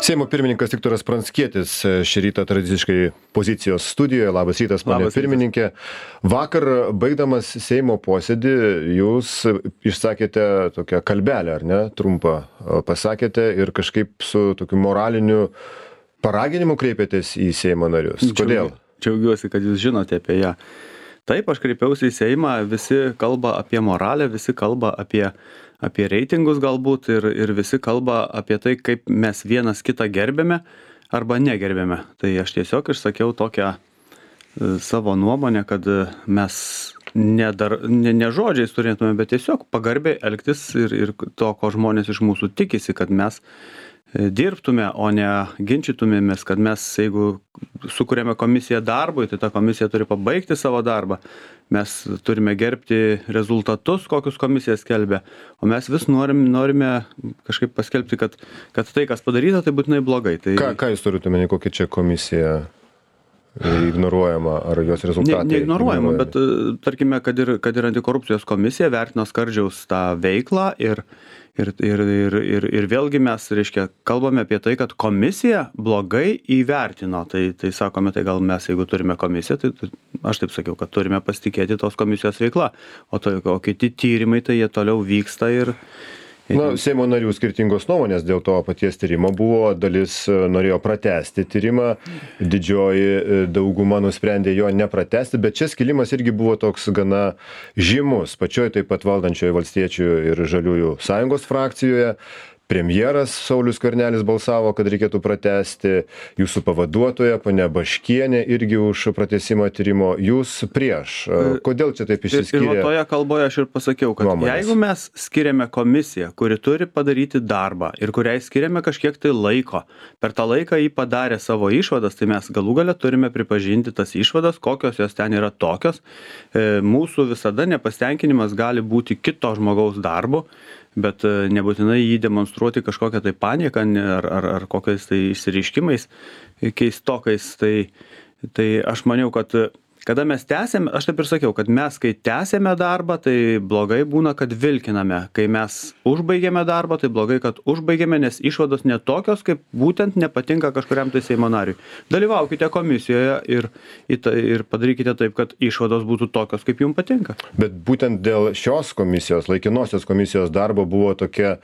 Seimo pirmininkas Viktoras Pranckietis šį rytą tradiciškai pozicijos studijoje. Labas rytas, ponė pirmininkė. Vakar, baigdamas Seimo posėdį, jūs išsakėte tokią kalbelę, ar ne, trumpą pasakėte ir kažkaip su tokiu moraliniu paraginimu kreipėtės į Seimo narius. Kodėl? Džiaugiuosi, kad jūs žinote apie ją. Taip, aš kreipiausi į Seimą, visi kalba apie moralę, visi kalba apie reitingus galbūt ir visi kalba apie tai, kaip mes vienas kitą gerbėme arba negerbėme. Tai aš tiesiog išsakiau tokią savo nuomonę, kad mes ne žodžiais turėtume, bet tiesiog pagarbiai elgtis ir to, ko žmonės iš mūsų tikisi, kad mes dirbtume, o ne ginčytumėmės, kad mes, jeigu sukūrėme komisiją darbui, tai ta komisija turi pabaigti savo darbą. Mes turime gerbti rezultatus, kokius komisija skelbia, o mes vis norime kažkaip paskelbti, kad tai, kas padaryta, tai būtinai blogai. Tai... Ką jūs turite omeny, kokia čia komisija ignoruojama, ar jos rezultatai? Neignoruojama, bet tarkime, kad ir antikorupcijos komisija vertino Skardžiaus tą veiklą ir vėlgi mes, reiškia, kalbame apie tai, kad komisija blogai įvertino. Tai sakome, tai gal mes, jeigu turime komisiją, tai aš taip sakiau, kad turime pasitikėti tos komisijos veikla. O kiti tyrimai, tai jie toliau vyksta ir... Seimo narių skirtingos nuomonės dėl to paties tyrimo buvo, dalis norėjo pratęsti tyrimą, didžioji dauguma nusprendė jo nepratęsti, bet čia skilimas irgi buvo toks gana žymus, pačioj taip pat valdančioje Valstiečių ir Žaliųjų sąjungos frakcijoje. Premjeras Saulius Skvernelis balsavo, kad reikėtų pratęsti, jūsų pavaduotoja, ponia Baškienė, irgi už pratęsimą tyrimo, jūs prieš. Kodėl čia taip išsiskyrė? Ir toje kalboje aš ir pasakiau, kad jeigu mes skiriame komisiją, kuri turi padaryti darbą ir kuriai skiriame kažkiek tai laiko, per tą laiką jį padarė savo išvadas, tai mes galų gale turime pripažinti tas išvadas, kokios jos ten yra tokios. Mūsų visada nepastenkinimas gali būti kito žmogaus darbu, bet nebūtinai jį demonstruoti kažkokią tai panieką ar kokiais tai išsireiškimais keistokais. Tai aš maniau, kad kada mes tęsėme, aš taip ir sakiau, kad mes, kai tęsėme darbą, tai blogai būna, kad vilkiname. Kai mes užbaigėme darbą, tai blogai, kad užbaigėme, nes išvados netokios, kaip būtent nepatinka kažkuriam tai Seimo nariui. Dalyvaukite komisijoje ir padarykite taip, kad išvados būtų tokios, kaip jums patinka. Bet būtent dėl šios komisijos, laikinosios komisijos darbo buvo tokia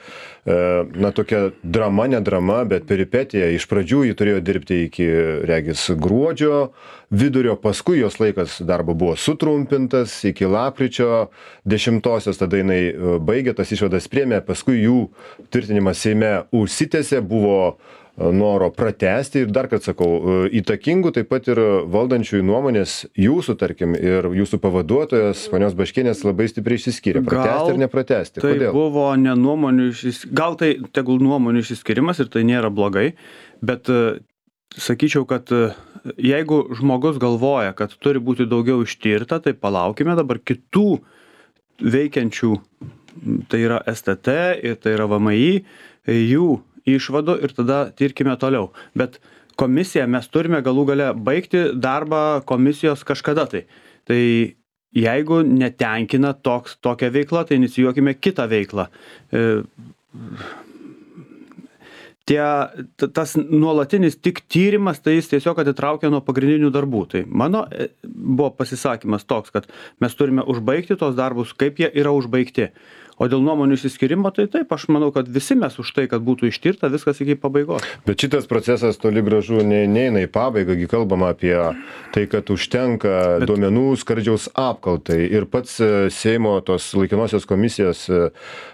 drama, ne drama, bet peripetija. Iš pradžių jį turėjo dirbti iki, regis, gruodžio vidurio, paskui jos laikas darbo buvo sutrumpintas iki lapkričio 10-osios, tada jinai baigė, tas išvadas priėmė, paskui jų tvirtinimas Seime užsitęsė, buvo noro pratęsti ir dar kartą sakau, įtakingų taip pat ir valdančiųjų nuomonės, jūsų, tarkim, ir jūsų pavaduotojas, ponios Baškienės, labai stipriai išsiskyrė. Pratęsti ir nepratęsti. Kodėl? Tai buvo ne nuomonių gal tai tegul nuomonių išsiskirimas ir tai nėra blogai, bet sakyčiau, kad jeigu žmogus galvoja, kad turi būti daugiau ištirta, tai palaukime dabar kitų veikiančių, tai yra STT ir tai yra VMI, jų išvadų ir tada tirkime toliau. Bet komisiją mes turime galų gale baigti darbą komisijos kažkada tai. Tai jeigu netenkina tokia veikla, tai inicijuokime kitą veiklą. Tas nuolatinis tik tyrimas, tai jis tiesiog atitraukia nuo pagrindinių darbų. Tai mano buvo pasisakymas toks, kad mes turime užbaigti tos darbus, kaip jie yra užbaigti. O dėl nuomonių išsiskyrimo, tai taip, aš manau, kad visi mes už tai, kad būtų ištirta viskas iki pabaigos. Bet šitas procesas toli gražu neina į pabaigą, kalbama apie tai, kad užtenka duomenų Skardžiaus apkaltai. Ir pats Seimo tos laikinosios komisijos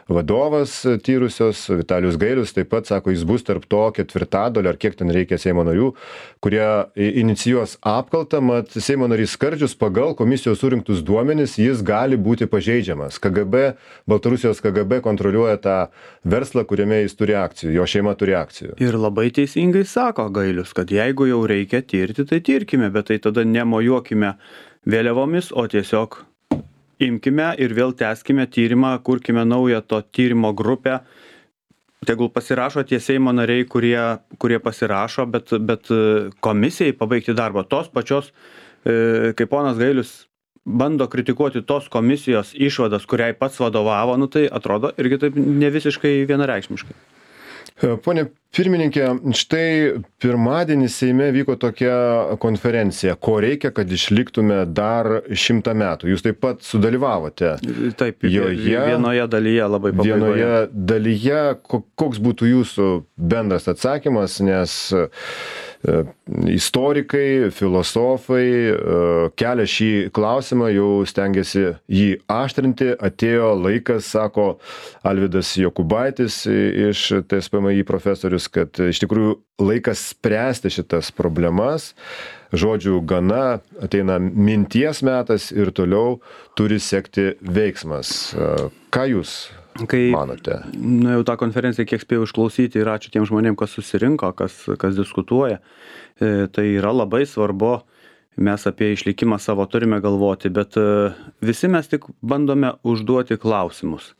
vadovas tyrusios, Vitalijus Gailius, taip pat sako, jis bus tarp to ketvirtadalio, ar kiek ten reikia Seimo narių, kurie inicijuos apkaltą, mat Seimo narys Skardžius pagal komisijos surinktus duomenis jis gali būti pažeidžiamas. Baltarusijos KGB kontroliuoja tą verslą, kuriame jis turi akcijų, jo šeima turi akcijų. Ir labai teisingai sako Gailius, kad jeigu jau reikia tirti, tai tirkime, bet tai tada nemojuokime vėliavomis, o tiesiog imkime ir vėl tęskime tyrimą, kurkime naują to tyrimo grupę. Tegul pasirašo tie Seimo nariai, kurie pasirašo, bet komisijai pabaigti darbą tos pačios, kaip ponas Gailius bando kritikuoti tos komisijos išvadas, kuriai pats vadovavo, tai atrodo irgi taip ne visiškai vienareikšmiškai. Pone pirmininkė, štai pirmadienį Seime vyko tokia konferencija, ko reikia, kad išliktume dar 100 metų. Jūs taip pat sudalyvavote. Taip, vienoje dalyje labai pabaigoje. Vienoje dalyje, koks būtų jūsų bendras atsakymas, nes istorikai, filosofai kelia šį klausimą, jau stengiasi jį aštrinti. Atėjo laikas, sako Alvydas Jokubaitis iš TSPMI profesorius, kad iš tikrųjų laikas spręsti šitas problemas. Žodžių gana, ateina minties metas ir toliau turi sekti veiksmas. Ką jūs manote? Jau tą konferenciją kiek spėjau išklausyti ir ačiū tiem žmonėm, kas susirinko, kas diskutuoja. Tai yra labai svarbu, mes apie išlikimą savo turime galvoti, bet visi mes tik bandome užduoti klausimus.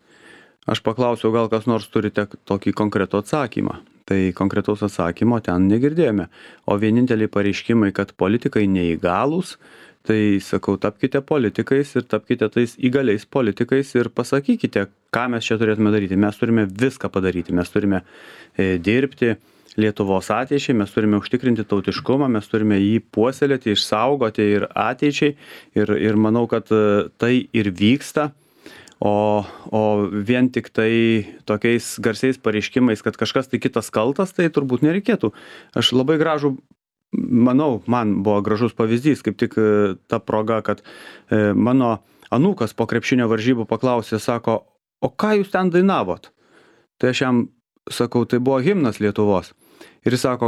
Aš paklausiau, gal kas nors turite tokį konkretų atsakymą. Tai konkretaus atsakymo ten negirdėjome. O vieninteliai pareiškimai, kad politikai neįgalūs, tai sakau, tapkite politikais ir tapkite tais įgaliais politikais ir pasakykite, ką mes čia turėtume daryti. Mes turime viską padaryti, mes turime dirbti Lietuvos ateičiai, mes turime užtikrinti tautiškumą, mes turime jį puoselėti, išsaugoti ir ateičiai. Ir manau, kad tai ir vyksta. O vien tik tai tokiais garsiais pareiškimais, kad kažkas tai kitas kaltas, tai turbūt nereikėtų. Aš labai gražų, manau, man buvo gražus pavyzdys, kaip tik ta proga, kad mano anūkas po krepšinio varžybų paklausė, sako, o ką jūs ten dainavot? Tai aš jam sakau, tai buvo himnas Lietuvos. Ir jis sako,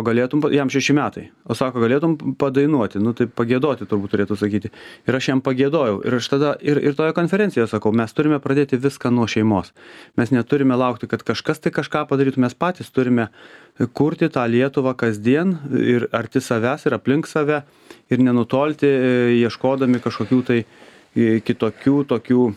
jam 6 metai, o sako, galėtum padainuoti, tai pagėdoti turbūt turėtų sakyti. Ir aš jam pagėdojau. Ir aš tada, ir toje konferencijoje sakau, mes turime pradėti viską nuo šeimos. Mes neturime laukti, kad kažkas tai kažką padarytų, mes patys turime kurti tą Lietuvą kasdien ir arti savęs ir aplink save ir nenutolti, ieškodami kažkokių tai kitokių tokių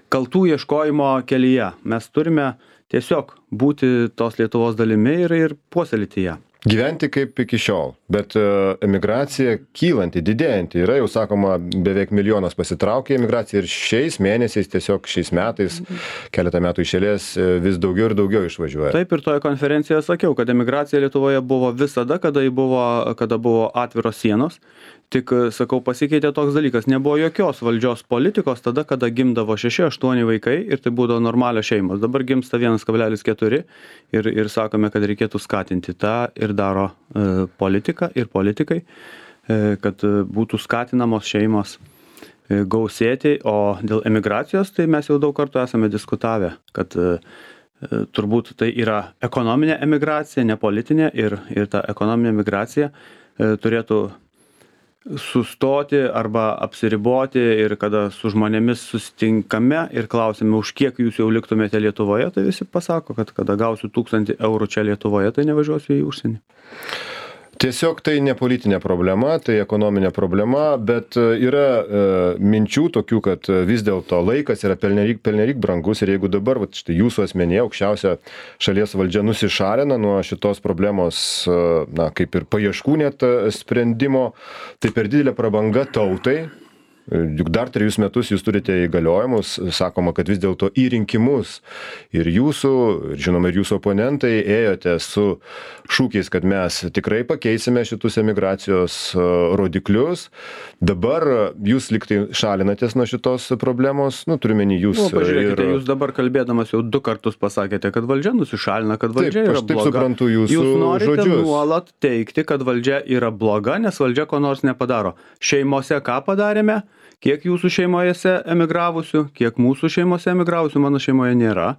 kaltų ieškojimo kelyje. Mes turime tiesiog būti tos Lietuvos dalimi ir puoselėti ją. Gyventi kaip iki šiol, bet emigracija kylanti, didėjanti. Yra jau sakoma, beveik 1 milijonas pasitraukė emigracija ir šiais mėnesiais, tiesiog šiais metais, keletą metų iš eilės vis daugiau ir daugiau išvažiuoja. Taip, ir toje konferencijoje sakiau, kad emigracija Lietuvoje buvo visada, kada buvo atviros sienos. Tik, sakau, pasikeitė toks dalykas, nebuvo jokios valdžios politikos tada, kada gimdavo 6-8 vaikai ir tai būdavo normalios šeimos. Dabar gimsta 1,4 ir sakome, kad reikėtų skatinti tą ir daro politika ir politikai, kad būtų skatinamos šeimos gausėti, o dėl emigracijos tai mes jau daug kartų esame diskutavę, kad turbūt tai yra ekonominė emigracija, ne politinė ir ta ekonominė emigracija turėtų sustoti arba apsiriboti ir kada su žmonėmis susitinkame ir klausime, už kiek jūs jau liktumėte Lietuvoje, tai visi pasako, kad kada gausiu 1000 eurų čia Lietuvoje, tai nevažiuosiu į užsienį. Tiesiog tai ne politinė problema, tai ekonominė problema, bet yra minčių tokių, kad vis dėlto laikas yra pernelyg brangus ir jeigu dabar, štai jūsų asmenyje, aukščiausia šalies valdžia nusišalina nuo šitos problemos, kaip ir paieškų net sprendimo, tai per didelė prabanga tautai. Juk dar 3 metus jūs turite įgaliojimus, sakoma, kad vis dėlto į rinkimus ir jūsų, ir žinoma, ir jūsų oponentai ėjote su šūkiais, kad mes tikrai pakeisime šitus emigracijos rodiklius. Dabar jūs liktai šalinatės nuo šitos problemos, turime jūs. Pažiūrėkite, jūs dabar kalbėdamas jau 2 kartus pasakėte, kad valdžia nusišalina, kad valdžia yra bloga. Taip suprantu jūsų žodžius. Jūs norite nuolat teikti, kad valdžia yra bloga, nes valdžia ko nors nepadaro. Šeimose ką padarėme? Kiek jūsų šeimojose emigravusių, kiek mūsų šeimose emigravusių, mano šeimoje nėra.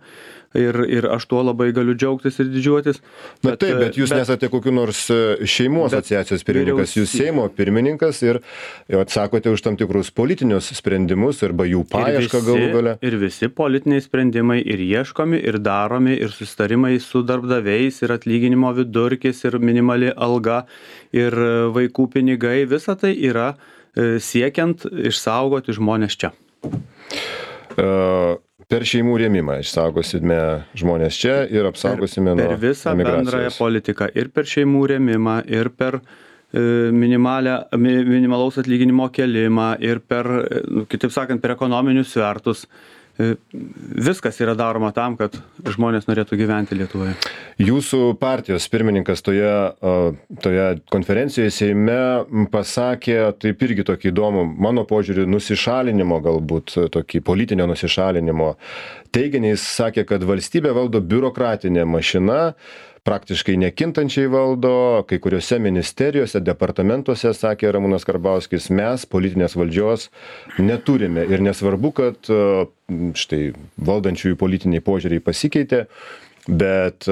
Ir aš tuo labai galiu džiaugtis ir didžiuotis. Bet jūs nesate kokiu nors šeimų asociacijos pirmininkas, jūs Seimo pirmininkas ir atsakote už tam tikrus politinius sprendimus arba jų paiešką galų gale. Ir visi politiniai sprendimai ir ieškomi, ir daromi, ir susitarimai su darbdaviais, ir atlyginimo vidurkis, ir minimali alga, ir vaikų pinigai, visa tai yra siekiant išsaugoti žmonės čia. Per šeimų rėmimą išsaugosime žmonės čia ir apsaugosime nuo emigracijos. Per visą bendrąją politiką ir per šeimų rėmimą, ir per minimalaus atlyginimo kėlimą, ir per, kitaip sakant, per ekonominius svertus viskas yra daroma tam, kad žmonės norėtų gyventi Lietuvoje. Jūsų partijos pirmininkas toje konferencijoje Seime pasakė, taip irgi tokį įdomų, mano požiūrį, nusišalinimo galbūt, tokį politinio nusišalinimo teiginį. Jis sakė, kad valstybė valdo biurokratinė mašina, praktiškai nekintančiai valdo, kai kuriuose ministerijose, departamentuose, sakė Ramūnas Karbauskis, mes politinės valdžios neturime. Ir nesvarbu, kad štai valdančiųjų politiniai požiūriai pasikeitė, bet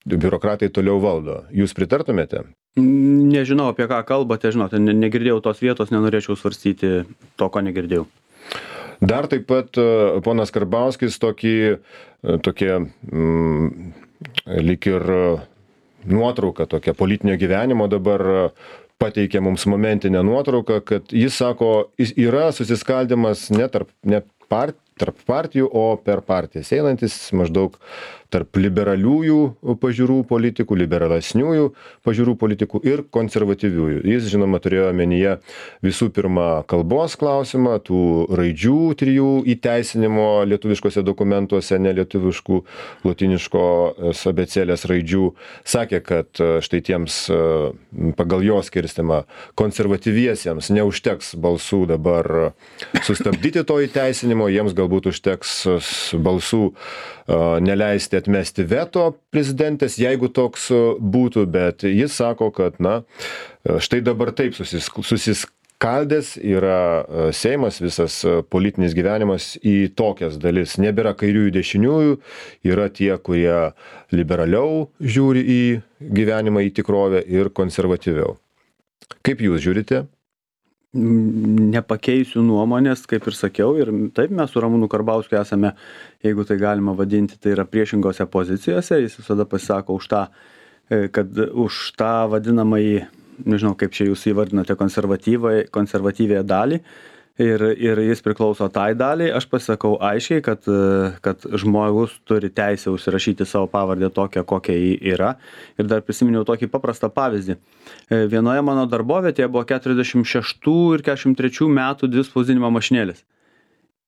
biurokratai toliau valdo. Jūs pritartumėte? Nežinau, apie ką kalbate, žinote, negirdėjau tos vietos, nenorėčiau svarstyti to, ko negirdėjau. Dar taip pat ponas Karbauskis tokie lyg ir nuotrauka tokia politinio gyvenimo dabar pateikia mums momentinę nuotrauką, kad jis sako, yra susiskaldimas ne tarp partijų, o per partijas einantis maždaug tarp liberaliųjų pažiūrų politikų, liberalesniųjų pažiūrų politikų ir konservatyviųjų. Jis, žinoma, turėjo omenyje visų pirma kalbos klausimą, tų raidžių 3 įteisinimo lietuviškose dokumentuose, nelietuviškų lotyniškos abėcėlės raidžių. Sakė, kad štai tiems pagal jo skirstimą konservatyviesiems neužteks balsų dabar sustabdyti to įteisinimo, jiems galbūt užteks balsų neleisti atmesti veto prezidentės, jeigu toks būtų, bet jis sako, kad štai dabar taip susiskaldęs yra Seimas, visas politinis gyvenimas į tokias dalis. Nebėra kairiųjų dešiniųjų, yra tie, kurie liberaliau žiūri į gyvenimą, į tikrovę ir konservatyviau. Kaip jūs žiūrite? Nepakeisiu nuomonės, kaip ir sakiau, ir taip mes su Ramūnu Karbauskiu esame, jeigu tai galima vadinti, tai yra priešingose pozicijose, jis visada pasisako už tą vadinamąjį, nežinau kaip čia jūs įvardinate, konservatyvėje dalį, ir jis priklauso tai daliai. Aš pasakau aiškiai, kad žmogus turi teisę užsirašyti savo pavardę tokią, kokia ji yra. Ir dar prisiminiau tokį paprastą pavyzdį. Vienoje mano darbovietėje buvo 46 ir 43 metų 2 spausdinimo mašinėlės.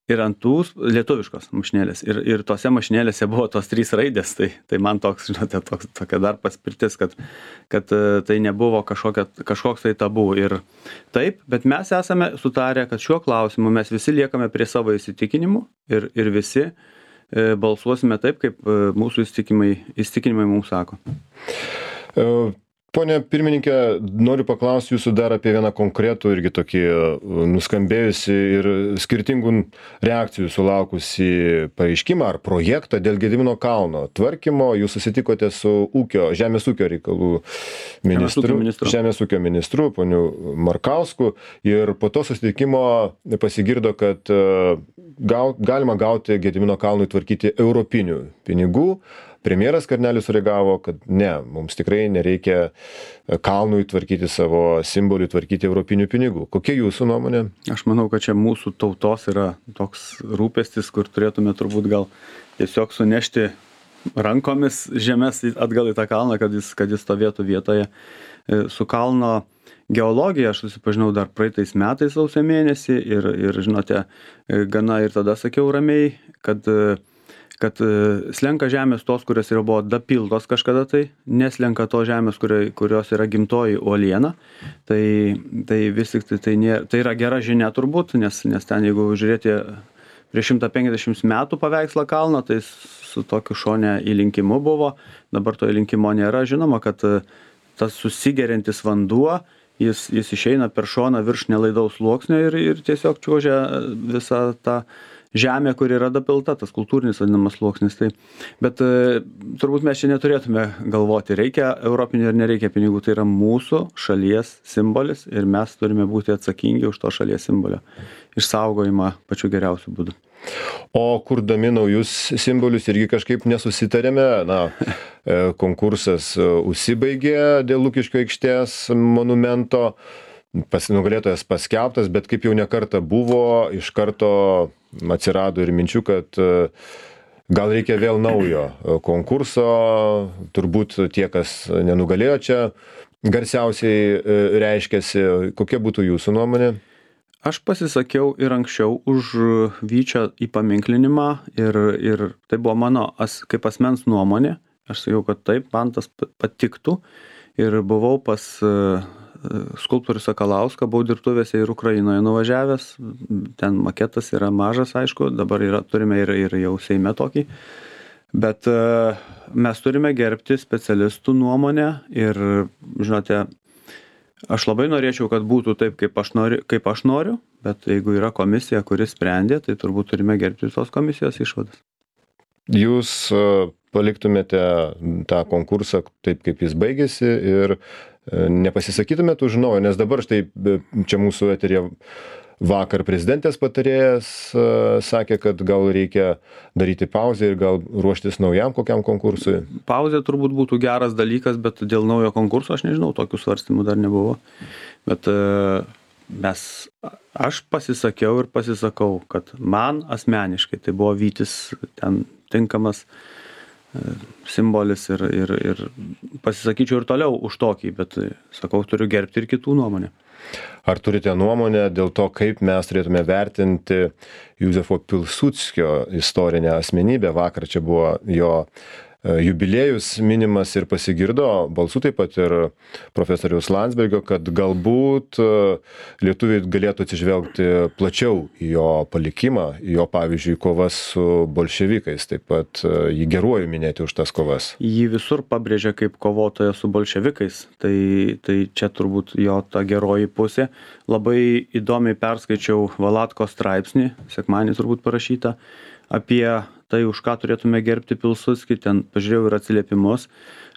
Ir ant tų lietuviškos mašinėlės. Ir tose mašinėlėse buvo tos 3 raidės. Tai man toks, žinote, tokia dar paspirtis, kad tai nebuvo kažkoks tai tabu. Ir taip, bet mes esame sutarę, kad šiuo klausimu mes visi liekame prie savo įsitikinimų ir visi balsuosime taip, kaip mūsų įsitikinimai mums sako. Pone pirmininkė, noriu paklausti jūsų dar apie vieną konkretų irgi tokį nuskambėjusi ir skirtingų reakcijų sulaukusi pareiškimą ar projektą dėl Gedimino kalno tvarkymo. Jūs susitikote su Žemės ūkio reikalų Žemės ūkio ministru, poniu Markausku, ir po to susitikimo pasigirdo, kad galima gauti Gedimino kalnui tvarkyti europinių pinigų. Premjeras Skvernelis sureagavo, kad ne, mums tikrai nereikia kalnui tvarkyti savo simbolių, tvarkyti europinių pinigų. Kokia jūsų nuomonė? Aš manau, kad čia mūsų tautos yra toks rūpestis, kur turėtume turbūt gal tiesiog sunešti rankomis žemės atgal į tą kalną, kad jis stovėtų vietoje. Su kalno geologija aš susipažinau dar praeitais metais sausio mėnesį ir žinote, gana ir tada sakiau ramiai, kad slenka žemės tos, kurios jau buvo dapiltos kažkada tai, neslenka to žemės, kurios yra gimtoji uoliena. Tai vis tik tai yra gera žinia turbūt, nes ten, jeigu žiūrėti prieš 150 metų paveikslą kalno, tai su tokiu šone įlinkimu buvo, dabar to įlinkimo nėra. Žinoma, kad tas susigeriantis vanduo, jis išeina per šoną virš nelaidaus sluoksnio ir tiesiog čiuožia visą tą žemė, kur yra dapilta, tas kultūrinis vadinamas sluoksnis. Bet turbūt mes čia neturėtume galvoti, reikia europinių ar nereikia pinigų. Tai yra mūsų šalies simbolis ir mes turime būti atsakingi už to šalies simbolio išsaugojimą pačiu geriausiu būdu. O kurdami naujus simbolius irgi kažkaip nesusitarėme. Konkursas užsibaigė dėl Lukiškių aikštės monumento. Nugalėtojas paskelbtas, bet kaip jau nekartą buvo, iš karto atsirado ir minčių, kad gal reikia vėl naujo konkurso. Turbūt tie, kas nenugalėjo čia, garsiausiai reiškiasi. Kokia būtų jūsų nuomonė? Aš pasisakiau ir anksčiau už Vyčio įpaminklinimą ir tai buvo mano kaip asmens nuomonė. Aš sakiau, kad taip, man tas patiktų ir buvau pas skulptorių Sakalauską, buvau dirbtuvėse ir Ukrainoje nuvažiavęs, ten maketas yra mažas, aišku, dabar turime ir jau Seime tokį, bet mes turime gerbti specialistų nuomonę ir, žinote, aš labai norėčiau, kad būtų taip, kaip aš noriu, bet jeigu yra komisija, kuris sprendė, tai turbūt turime gerbti tos komisijos išvadas. Jūs paliktumėte tą konkursą taip, kaip jis baigėsi ir nepasisakytumėte už naują, nes dabar štai čia mūsų eteryje vakar prezidentės patarėjas sakė, kad gal reikia daryti pauzę ir gal ruoštis naujam kokiam konkursui. Pauzė turbūt būtų geras dalykas, bet dėl naujo konkurso aš nežinau, tokių svarstymų dar nebuvo. Bet aš pasisakiau ir pasisakau, kad man asmeniškai tai buvo Vytis ten tinkamas simbolis ir pasisakyčiau ir toliau už tokį, bet sakau, turiu gerbti ir kitų nuomonę. Ar turite nuomonę dėl to, kaip mes turėtume vertinti Józefo Pilsudskio istorinę asmenybę? Vakar čia buvo jo jubiliejus minimas ir pasigirdo balsų taip pat ir profesoriaus Landsbergio, kad galbūt lietuviai galėtų atsižvelgti plačiau į jo palikimą, į jo, pavyzdžiui, kovas su bolševikais, taip pat jį geruoju minėti už tas kovas. Jį visur pabrėžia kaip kovotoją su bolševikais, tai čia turbūt jo ta geroji pusė. Labai įdomiai perskaičiau Valatko straipsnį, sekmadienį turbūt parašytą, apie tai, už ką turėtume gerbti Pilsudskį, ten pažiūrėjau ir atsiliepimus,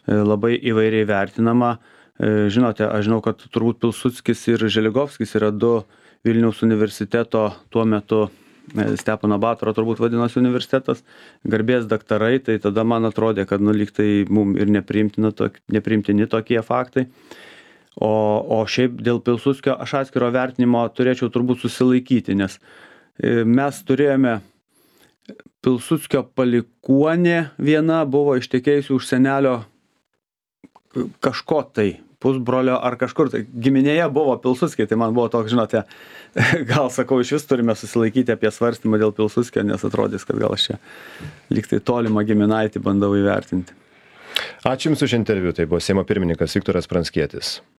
labai įvairiai vertinama. Žinote, aš žinau, kad turbūt Pilsudskis ir Želigovskis yra du Vilniaus universiteto tuo metu, Stepono Batoro turbūt vadinosi universitetas, garbės daktarai, tai tada man atrodė, kad lyg tai mums ir nepriimtini tokie faktai. O šiaip dėl Pilsudskio aš atskiro vertinimo turėčiau turbūt susilaikyti, nes mes turėjome Pilsudskio palikuonė viena buvo ištekėjusi už senelio kažko tai, pusbrolio ar kažkur, tai giminėje buvo Pilsudskiai, tai man buvo toks, žinote, gal sakau, iš vis turime susilaikyti apie svarstymą dėl Pilsudskio, nes atrodys, kad gal aš čia lyg tai tolimą giminaitį bandau įvertinti. Ačiū Jums už interviu, tai buvo Seimo pirmininkas Viktoras Pranckietis.